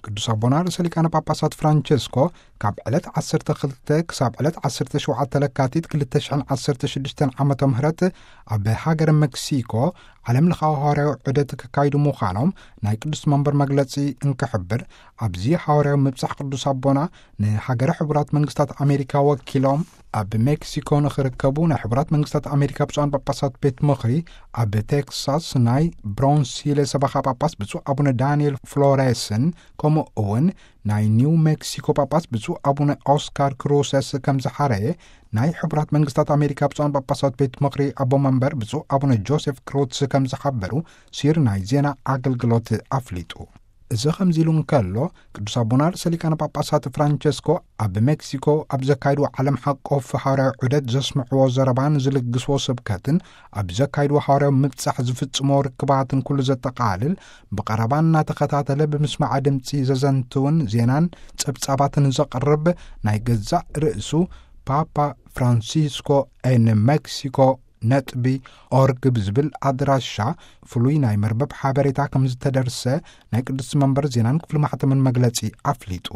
ቅዱስ ኣቦና ርእሰ ሊቃነ ጳጳሳት ፍራንቸስኮ ካብ ዕለት ዓሰርተ ክልተ ክሳብ ዕለት ዓሰርተ ሸውዓተ ለካቲት ክልተ ሽሕን ዓሰርተ ሽዱሽተን ዓመተ ምህረት ኣብ ሃገረ ሜክሲኮ ዓለም ለኻዊ ሃዋርያዊ ዑደት ክካይዱ ምዃኖም ናይ ቅዱስ መንበር መግለጺ እንክሕብር፣ ኣብዚ ሃዋርያዊ ምብጻሕ ቅዱስ ኣቦና ንሃገረ ሕቡራት መንግስታት ኣሜሪካ ወኪሎም ኣብ ሜክሲኮ ንኽርከቡ ናይ ሕቡራት መንግስታት ኣሜሪካ ብፁዓን ጳጳሳት ቤት ምኽሪ ኣብ ቴክሳስ ናይ ብሮንሲለ ሰበኻ ጳጳስ ብፁዕ ኣቡነ ዳንኤል ፍሎሬስን፣ ከምኡ እውን ናይ ኒው ሜክሲኮ ጳጳስ ብፁዕ ኣቡነ ኦስካር ክሩሰስ ከም ዝሓረየ ናይ ሕቡራት መንግስታት ኣሜሪካ ብፁዓን ጳጳሳት ቤት ምኽሪ ኣቦ መንበር ብፁዕ ኣቡነ ጆሴፍ ክሮትስ ከም ዝሓበሩ ሲር ናይ ዜና ኣገልግሎት ኣፍሊጡ። እዚ ከምዚ ኢሉ እንከሎ፣ ቅዱስ ኣቦና ርእሰ ሊቃነ ጳጳሳት ፍራንቸስኮ ኣብ ሜክሲኮ ኣብ ዘካይድዎ ዓለም ሓቆፍ ሃዋርያዊ ዑደት ዘስምዕዎ ዘረባን ዝልግስዎ ስብከትን፣ ኣብ ዘካይድዎ ሃዋርያዊ ምብጻሕ ዝፍጽሞ ርክባትን ኩሉ ዘጠቓልል፣ ብቐረባ እናተኸታተለ ብምስማዕ ድምጺ ዘዘንትውን ዜናን ጸብጻባትን ዘቕርብ ናይ ገዛእ ርእሱ ፓፓ ፍራንሲስኮ ኤን ሜክሲኮ ነጥቢ ኦርግ ብዝብል ኣድራሻ ፍሉይ ናይ መርበብ ሓበሬታ ከም ዝተደርሰ ናይ ቅዱስ መንበር ዜናን ክፍሊ ማሕተምን መግለጺ ኣፍሊጡ።